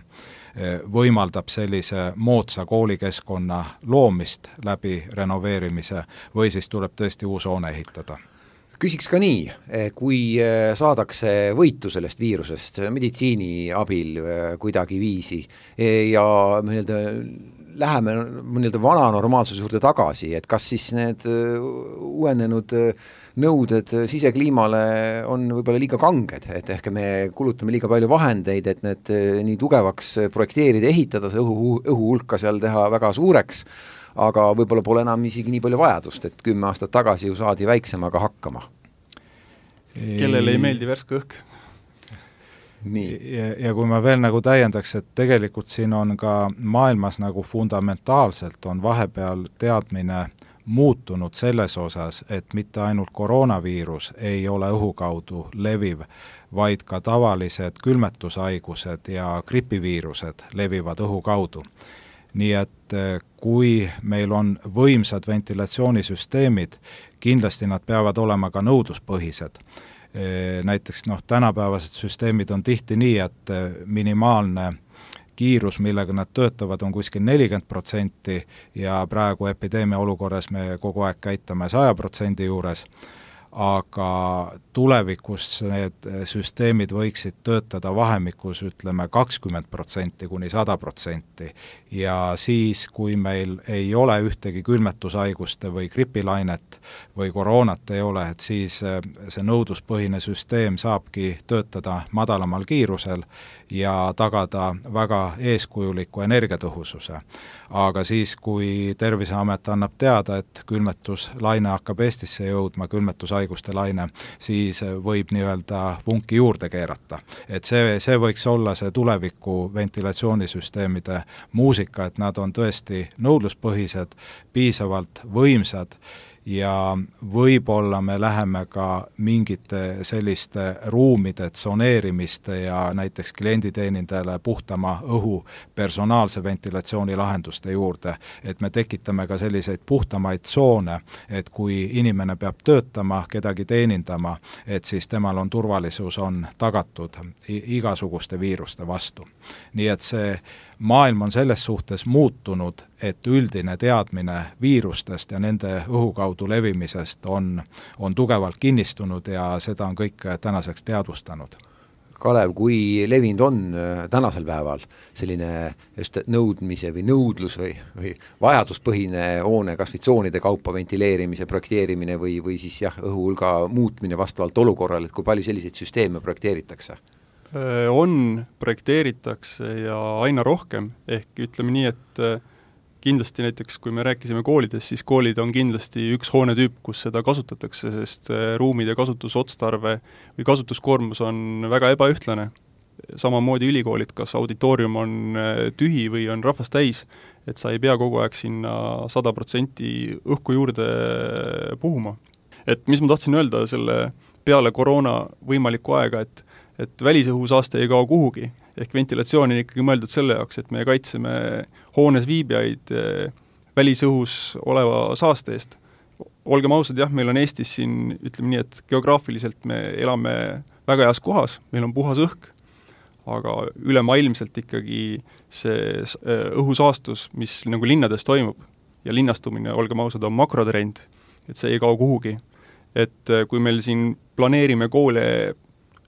võimaldab sellise moodsa koolikeskkonna loomist läbi renoveerimise või siis tuleb tõesti uus hoone ehitada. Küsiks ka nii, kui saadakse võitu sellest viirusest meditsiini abil kuidagi viisi ja läheme vana normaalsuse juurde tagasi, et kas siis need uuenenud nõuded sisekliimale on võib-olla liiga kanged, et ehk me kulutame liiga palju vahendeid, et need nii tugevaks projekteerida, ehitada, see õhuhulka seal teha väga suureks, aga võib-olla pole enam isegi nii palju vajadust, et 10 aastat tagasi ju saadi väiksemaga hakkama. Kellele ei meeldi värske õhk? Nii. Ja kui ma veel nagu täiendaks, et tegelikult siin on ka maailmas nagu fundamentaalselt on vahepeal teadmine muutunud selles osas, et mitte ainult koroonaviirus ei ole õhu kaudu leviv, vaid ka tavalised külmetushaigused ja gripiviirused levivad õhu kaudu. Nii et kui meil on võimsad ventilatsioonisüsteemid, kindlasti nad peavad olema ka nõudluspõhised. Näiteks tänapäevased süsteemid on tihti nii, et minimaalne kiirus, millega nad töötavad, on kuskil 40% ja praegu epideemia olukorras me kogu aeg käitame 100% juures, aga tulevikus need süsteemid võiksid töötada vahemikus, ütleme 20% kuni 100% ja siis, kui meil ei ole ühtegi külmetushaiguste või gripilainet või koroonat ei ole, et siis see nõudluspõhine süsteem saabki töötada madalamal kiirusel ja tagada väga eeskujuliku energiatõhususe. Aga siis, kui Terviseamet annab teada, et külmetuslaine hakkab Eestisse jõudma, külmetushaiguste laine, siis võib nii-öelda vunki juurde keerata. Et see võiks olla see tuleviku ventilatsioonisüsteemide muusika, et nad on tõesti nõudluspõhised, piisavalt võimsad ja võib-olla me läheme ka mingite selliste ruumide tsoneerimiste ja näiteks klienditeenindajale puhtama õhu personaalse ventilatsiooni lahenduste juurde, et me tekitame ka selliseid puhtamaid tsoone, et kui inimene peab töötama, kedagi teenindama, et siis temal on turvalisus on tagatud igasuguste viiruste vastu. Nii et see maailm on selles suhtes muutunud, et üldine teadmine viirustest ja nende õhu kaudu levimisest on tugevalt kinnistunud ja seda on kõik tänaseks teadvustanud. Kalev, kui levinud on tänasel päeval selline just nõudmise või nõudlus või vajaduspõhine hoone kasvitsoonide kaupa ventileerimise, projekteerimine või siis õhuhulga muutmine vastavalt olukorrale, et kui palju selliseid süsteeme projekteeritakse? Projekteeritakse ja aina rohkem, ehk ütleme nii, et kindlasti näiteks, kui me rääkisime koolides, siis koolid on kindlasti üks hoonetüüp, kus seda kasutatakse, sest ruumide kasutusotstarve või kasutuskoormus on väga ebaühtlane. samamoodi ülikoolid, kas auditoorium on tühi või on rahvast täis, et sa ei pea kogu aeg sinna 100% õhku juurde puhuma. Et mis ma tahtsin öelda selle peale koroona võimalikku aega, et välisõhusaaste ei kao kuhugi, ehk ventilatsioon on ikkagi mõeldud selle jaoks, et me kaitseme hoones viibijaid välisõhus oleva saaste eest. Olgem ausad, jah, meil on Eestis siin, ütleme nii, et geograafiliselt me elame väga heas kohas, meil on puhas õhk, aga ülemaailmselt ikkagi see õhusaastus, mis nagu linnades toimub ja linnastumine, olgem ausad, on makrotrend, et see ei kao kuhugi. Et kui meil siin planeerime koole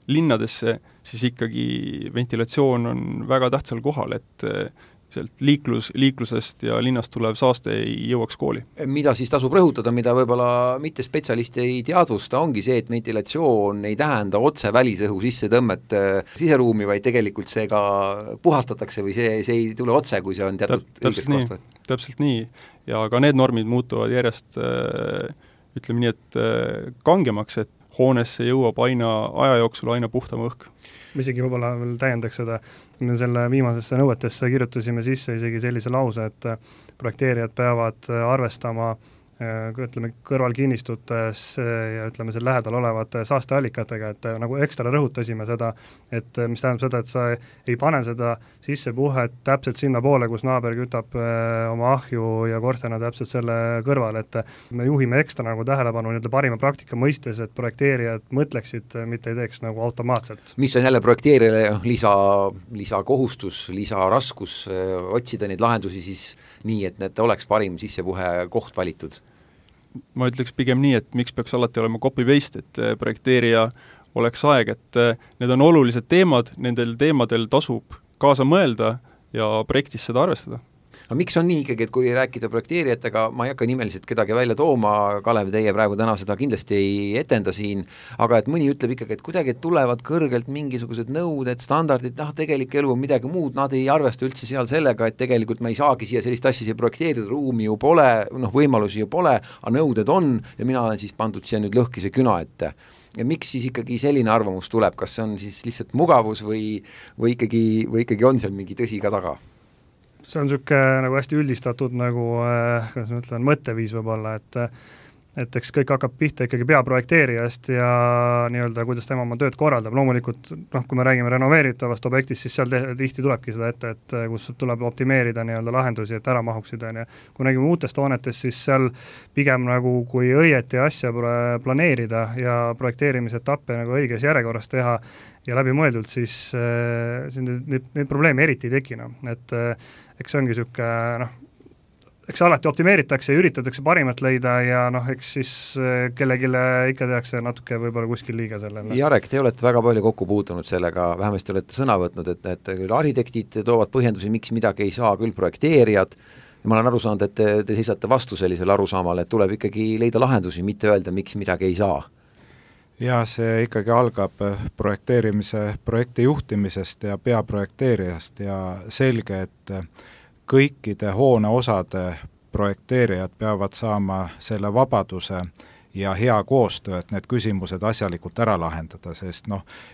linnadesse, siis ikkagi ventilatsioon on väga tähtsal kohal, et sealt liiklusest ja linnast tulev saaste ei jõuaks kooli. Mida siis tasub rõhutada, mida võib-olla mitte spetsialist ei teadvusta, ongi see, et ventilatsioon ei tähenda otse välisõhu sissetõmmet siseruumi, vaid tegelikult see ka puhastatakse või see ei tule otse, kui see on teatud õigest kohast võetud. Täpselt nii. Ja ka need normid muutuvad järjest, ütleme nii, et kangemaks, et hoonesse jõuab aja jooksul aina puhtam õhk. Me isegi võib-olla veel täiendaks seda, selle viimasesse nõuetesse kirjutasime sisse isegi sellise lause, et projekteerijad peavad arvestama ütleme, kõrvalkinnistutes ja ütleme, seal lähedal olevate saasteallikatega, et nagu ekstra rõhutasime seda, et mis tähendab seda, et sa ei pane seda sissepuhet täpselt sinna poole, kus naaber kütab oma ahju ja korstena täpselt selle kõrval, et me juhime ekstra nagu tähelepanu nii-öelda parima praktika mõistes, et projekteerijad mõtleksid, mitte ei teeks nagu automaatselt. Mis on jälle projekteerijale lisakohustus, lisaraskus otsida neid lahendusi siis nii, et need oleks parim sissepuhe koht valitud? Ma ütleks pigem nii, et miks peaks alati olema copy-paste, et projekteerija oleks aeg, et need on olulised teemad, nendel teemadel tasub kaasa mõelda ja projektis seda arvestada. Aga miks on nii ikkagi, et kui rääkida projekteerijatega, ma ei hakka nimeliselt kedagi välja tooma, Kalev, teie praegu täna seda kindlasti ei etenda siin, aga et mõni ütleb ikkagi, et kuidagi tulevad kõrgelt mingisugused nõuded, standardid, tegelik elu on midagi muud, nad ei arvesta üldse seal sellega, et tegelikult me ei saagi siia sellist asja projekteerida, ruumi ju pole, võimalusi ju pole, aga nõuded on ja mina olen siis pandud siia nüüd lõhkise küna ette. Ja miks siis ikkagi selline arvamus tuleb, kas see on siis lihtsalt mugavus või ikkagi on seal mingi tõsi ka taga? See on niisugune nagu hästi üldistatud nagu, kuidas ma ütlen, mõtteviis võib-olla, et eks kõik hakkab pihta ikkagi peaprojekteerijast ja nii-öelda, kuidas tema oma tööd korraldab. Loomulikult, kui me räägime renoveeritavast objektist, siis seal tihti tulebki seda ette, et kus tuleb optimeerida nii-öelda lahendusi, et ära mahuksid. Kui räägime uutest hoonetest, siis seal pigem nagu kui õieti asja planeerida ja projekteerimisetappe nagu õiges järjekorras teha ja läbimõeldult, siis neid probleeme eriti ei tekina. Et eks see ongi niisugune, eks alati optimeeritakse ja üritatakse parimat leida ja eks siis kellegile ikka tehakse natuke võib-olla kuskil liiga sellele. Jarek, te olete väga palju kokku puutunud sellega, vähemasti olete sõna võtnud, et küll arhitektid toovad põhjendusi, miks midagi ei saa, küll projekteerijad, ja ma olen aru saanud, et te seisate vastu sellisele arusaamale, et tuleb ikkagi leida lahendusi, mitte öelda, miks midagi ei saa. Ja see ikkagi algab projekti juhtimisest ja peaprojekteerijast ja selge, et kõikide hoone osade projekteerijad peavad saama selle vabaduse ja hea koostöö, et need küsimused asjalikult ära lahendada, sest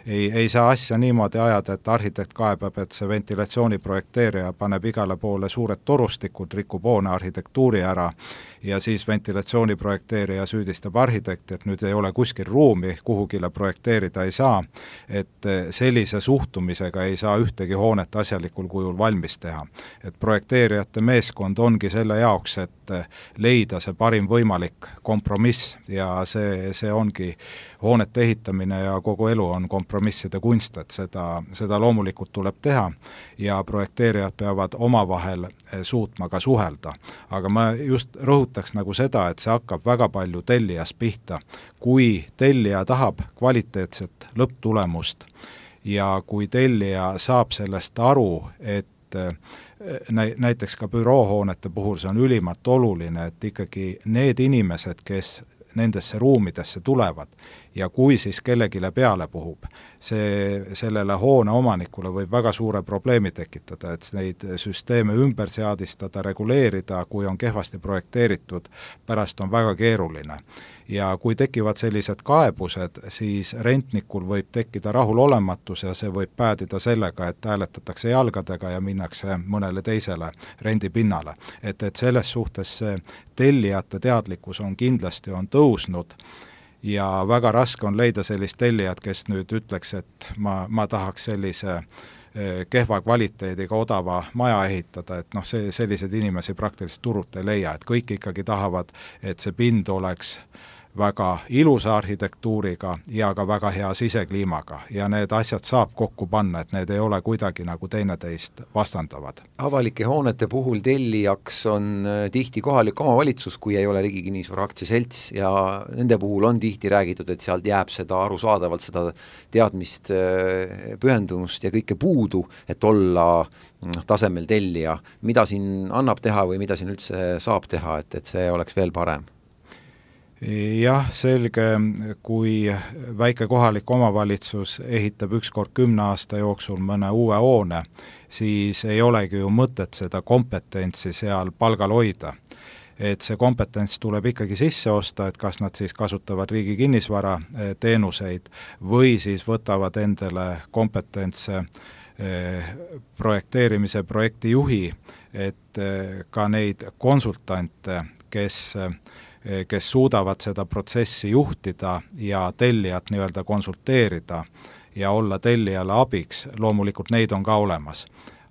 ei saa asja niimoodi ajada, et arhitekt kaebab, et see ventilatsiooni projekteerija paneb igale poole suured torustikud, rikub hoone arhitektuuri ära ja siis ventilatsiooni projekteerija süüdistab arhitekti, et nüüd ei ole kuskil ruumi, kuhugile projekteerida ei saa, et sellise suhtumisega ei saa ühtegi hoonet asjalikul kujul valmis teha. Et projekteerijate meeskond ongi selle jaoks, et leida see parim võimalik kompromiss ja see ongi hoonete ehitamine ja kogu elu on kompromisside kunst, et seda loomulikult tuleb teha ja projekteerijad peavad omavahel suutma ka suhelda. Aga ma just rõhutaks nagu seda, et see hakkab väga palju tellijast pihta. Kui tellija tahab kvaliteetset lõpptulemust ja kui tellija saab sellest aru, et näiteks ka büroohoonete puhul see on ülimalt oluline, et ikkagi need inimesed, kes nendesse ruumidesse tulevad ja kui siis kellegile peale puhub, sellele hoone omanikule võib väga suure probleemi tekitada, et neid süsteeme ümber seadistada, reguleerida, kui on kehvasti projekteeritud, pärast on väga keeruline. ja kui tekivad sellised kaebused, siis rentnikul võib tekkida rahulolematus ja see võib päädida sellega, et hääletatakse jalgadega ja minnakse mõnele teisele rendipinnale. Et selles suhtes see tellijate teadlikkus on kindlasti tõusnud ja väga raske on leida sellist tellijat, kes nüüd ütleks, et ma tahaks sellise kehva kvaliteediga odava maja ehitada, et sellised inimesi praktiliselt turult ei leia, et kõik ikkagi tahavad, et see pind oleks väga ilusa arhitektuuriga ja ka väga hea sisekliimaga ja need asjad saab kokku panna, et need ei ole kuidagi nagu teineteist vastandavad. Avalike hoonete puhul tellijaks on tihti kohalik omavalitsus, kui ei ole Riigi Kinnisvara Aktsiaselts ja nende puhul on tihti räägitud, et sealt jääb seda arusaadavalt, seda teadmist, pühendumust ja kõike puudu, et olla tasemel tellija. Mida siin annab teha või mida siin üldse saab teha, et see oleks veel parem? Jah, selge, kui väike kohalik omavalitsus ehitab ükskord 10 aasta jooksul mõne uue hoone, siis ei olegi ju mõtet seda kompetentsi seal palgal hoida. Et see kompetents tuleb ikkagi sisse osta, et kas nad siis kasutavad Riigi Kinnisvara teenuseid või siis võtavad endale kompetentse projekteerimise projektijuhi, et ka neid konsultante, kes suudavad seda protsessi juhtida ja tellijat nii-öelda konsulteerida ja olla tellijale abiks, loomulikult neid on ka olemas.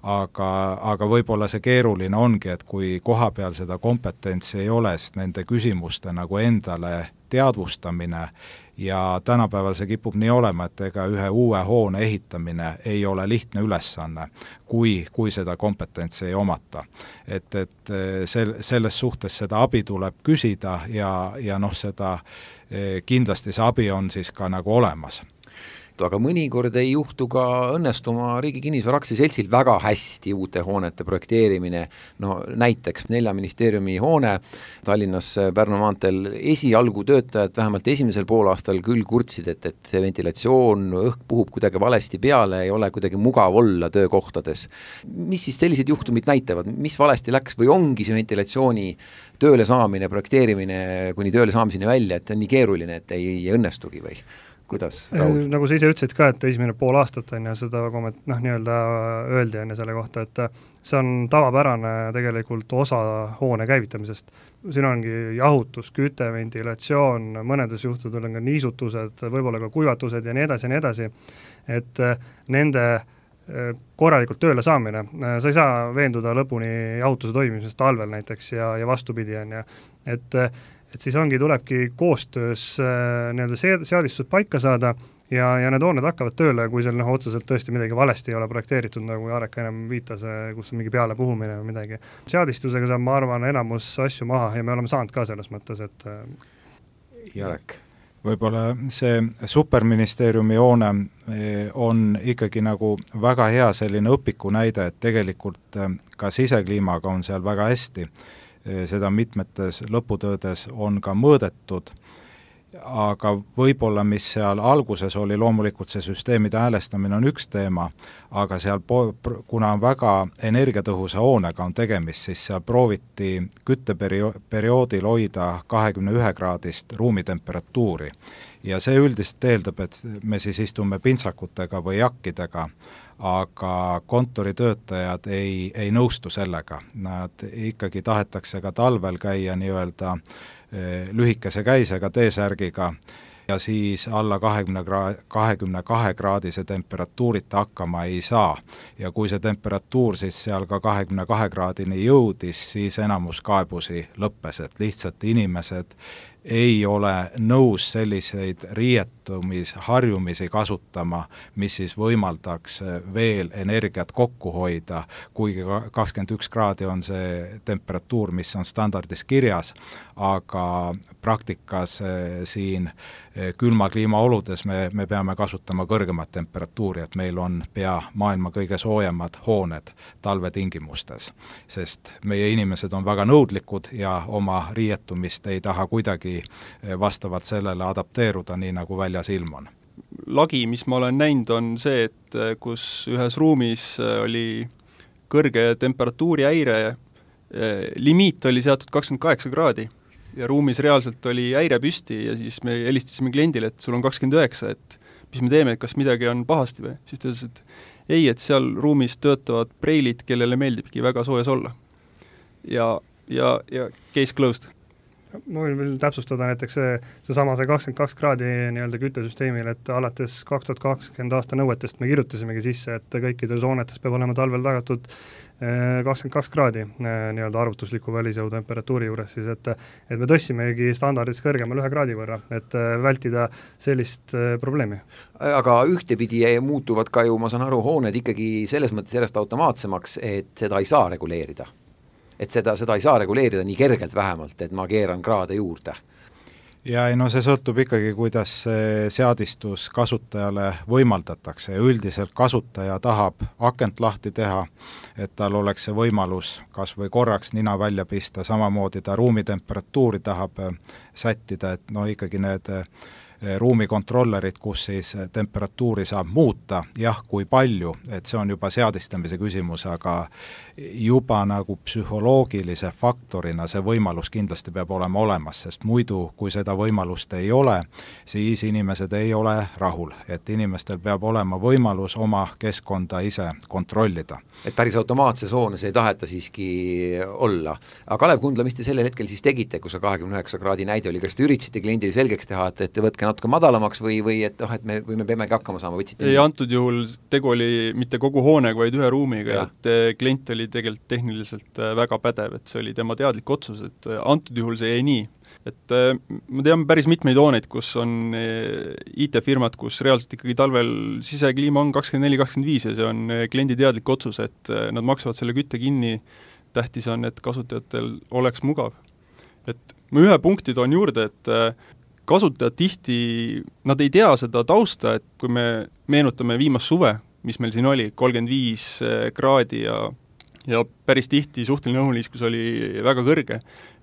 Aga võib-olla see keeruline ongi, et kui koha peal seda kompetentsi ei ole, siis nende küsimuste nagu endale teadvustamine ja tänapäeval see kipub nii olema, et ega ühe uue hoone ehitamine ei ole lihtne ülesanne, kui seda kompetentsi ei omata. Et selles suhtes seda abi tuleb küsida ja seda kindlasti see abi on siis ka nagu olemas. Aga mõnikord ei juhtu ka õnnestuma Riigi Kinnisvara Aktsiaseltsil väga hästi uute hoonete projekteerimine. Näiteks 4 ministeeriumi hoone Tallinnas Pärnu maanteel esialgu töötajad vähemalt esimesel poolaastal küll kurtsid, et see ventilatsioon, õhk puhub kuidagi valesti peale, ei ole kuidagi mugav olla töökohtades. Mis siis sellised juhtumid näitavad? Mis valesti läks või ongi see ventilatsiooni tööle saamine, projekteerimine kuni tööle saamiseni välja, et on nii keeruline, et ei õnnestugi või? Kuidas, Raul? Nagu sa ise ütlesid ka, et esimene pool aastat on ja seda nii-öelda öeldi on ja selle kohta, et see on tavapärane tegelikult osa hoone käivitamisest. Siin ongi jahutus, küte, ventilatsioon, mõnedes juhtudel on ka niisutused, võib-olla ka kuivatused ja nii edasi, et nende korralikult tööle saamine. Sa ei saa veenduda lõpuni jahutuse toimimisest talvel näiteks ja vastupidi on ja et siis tulebki koostöös seadistused paika saada ja need hooned hakkavad tööle, kui seal otseselt tõesti midagi valesti ei ole projekteeritud, nagu Jarek enam viitas, kus on mingi peale puhumine või midagi. Seadistusega saab, ma arvan, enamus asju maha ja me oleme saanud ka selles mõttes, et Jarek. Võib-olla see superministeeriumi hoone on ikkagi nagu väga hea selline õpiku näide, et tegelikult ka sisekliimaga on seal väga hästi. Seda mitmetes lõputöödes on ka mõõdetud, aga võib-olla mis seal alguses oli, loomulikult see süsteemide häälestamine on üks teema, aga seal, kuna on väga energiatõhusa hoonega on tegemist, siis seal prooviti kütteperioodil hoida 21-kraadist ruumitemperatuuri ja see üldiselt eeldab, et me siis istume pintsakutega või jakkidega, aga kontoritöötajad ei nõustu sellega. Nad ikkagi tahetakse ka talvel käia nii-öelda lühikese käisega T-särgiga ja siis alla 22 kraadise temperatuurita hakkama ei saa. Ja kui see temperatuur siis seal ka 22 kraadini jõudis, siis enamus kaebusi lõppes, et lihtsalt inimesed ei ole nõus selliseid riietumisharjumisi kasutama, mis siis võimaldaks veel energiat kokku hoida, kuigi 21 kraadi on see temperatuur, mis on standardis kirjas, aga praktikas siin külma kliimaoludes me peame kasutama kõrgemat temperatuuri, et meil on pea maailma kõige soojemad hooned talvetingimustes, sest meie inimesed on väga nõudlikud ja oma riietumist ei taha kuidagi vastavalt sellele adapteeruda, nii nagu väljas ilm on. Lagi, mis ma olen näinud, on see, et kus ühes ruumis oli kõrge temperatuuri häire, limiit oli seatud 28 kraadi ja ruumis reaalselt oli häire püsti ja siis me helistasime kliendile, et sul on 29, et mis me teeme, et kas midagi on pahasti või? Siis ta ütles, et ei, et seal ruumis töötavad preilid, kellele meeldibki väga soojas olla. Ja case closed. Ma võin veel täpsustada näiteks seesama 22 kraadi nii-öelda küttesüsteemil, et alates 2020 aasta nõuetest me kirjutasimegi sisse, et kõikides hoonetes peab olema talvel tagatud 22 kraadi nii-öelda arvutusliku välisõhu temperatuuri juures, siis et me tõssimegi standardis kõrgemal 1 kraadi võrra, et vältida sellist probleemi. Aga ühtepidi muutuvad ka ju, ma saan aru, hooned ikkagi selles mõttes järjest automaatsemaks, et seda ei saa reguleerida. Et seda ei saa reguleerida nii kergelt vähemalt, et ma keeran kraade juurde. Ja no see sõltub ikkagi, kuidas see seadistus kasutajale võimaldatakse ja üldiselt kasutaja tahab akent lahti teha, et tal oleks see võimalus kas või korraks nina välja pista, samamoodi ta ruumitemperatuuri tahab sättida, et no ikkagi need ruumikontrollerid, kus siis temperatuuri saab muuta, jah, kui palju, et see on juba seadistamise küsimus, aga juba nagu psühholoogilise faktorina see võimalus kindlasti peab olema olemas, sest muidu, kui seda võimalust ei ole, siis inimesed ei ole rahul, et inimestel peab olema võimalus oma keskkonda ise kontrollida. Et päris automaatses hoones ei taheta siiski olla. Aga Kalev Kundla, mis te sellel hetkel siis tegite, kui see 29 kraadi näide oli, kas te üritasite kliendile selgeks teha, et te võtke natuke madalamaks või et me peamegi hakkama saama, võtsite? Ei, antud juhul tegu oli mitte kogu hoonega, vaid ühe ruumiga, et klient oli tegelikult tehniliselt väga pädev, et see oli tema teadlik otsus, et antud juhul see jäi nii. Et ma tean päris mitmeid hooneid, kus on IT-firmad, kus reaalselt ikkagi talvel sisekliima on 24-25 ja see on kliendi teadlik otsus, et nad maksavad selle kütte kinni, tähtis on, et kasutajatel oleks mugav. Et ma ühe punkti toon juurde, et kasutajad tihti, nad ei tea seda tausta, et kui me meenutame viimast suve, mis meil siin oli, 35 kraadi ja päris tihti suhteline õhuliiskus oli väga kõrge,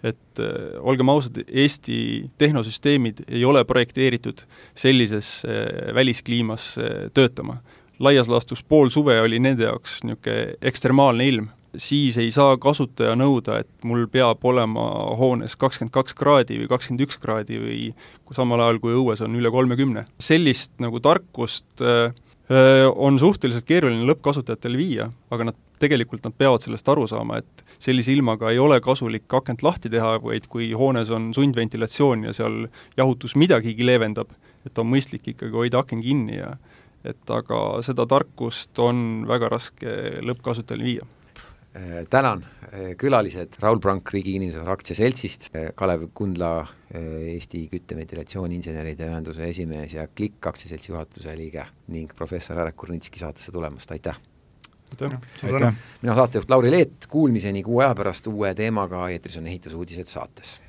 et olgem ausad, Eesti tehnosüsteemid ei ole projekteeritud sellises väliskliimas töötama. Laias laastus pool suve oli nende jaoks niisugune ekstremaalne ilm. Siis ei saa kasutaja nõuda, et mul peab olema hoones 22 kraadi või 21 kraadi või samal ajal, kui õues on üle 30. Sellist nagu tarkust on suhteliselt keeruline lõppkasutajatele viia, aga nad peavad sellest aru saama, et sellise ilmaga ei ole kasulik akent lahti teha, vaid kui hoones on sundventilatsioon ja seal jahutus midagigi leevendab, et on mõistlik ikkagi hoida aken kinni aga seda tarkust on väga raske lõppkasutajale viia. Tänan külalised Raul Prank Riigi Inimesele aktsiaseltsist, Kalev Kundla Eesti kütteventilatsiooni-inseneride ühenduse esimees ja Klikk aktsiaseltsi juhatuse liige ning professor Arek Kurnitski saatesse tulemast, aitäh! Aitäh! Mina saatejuht Lauri Leet, kuulmiseni 6 aja pärast uue teemaga, eetris on ehitusuudised saates.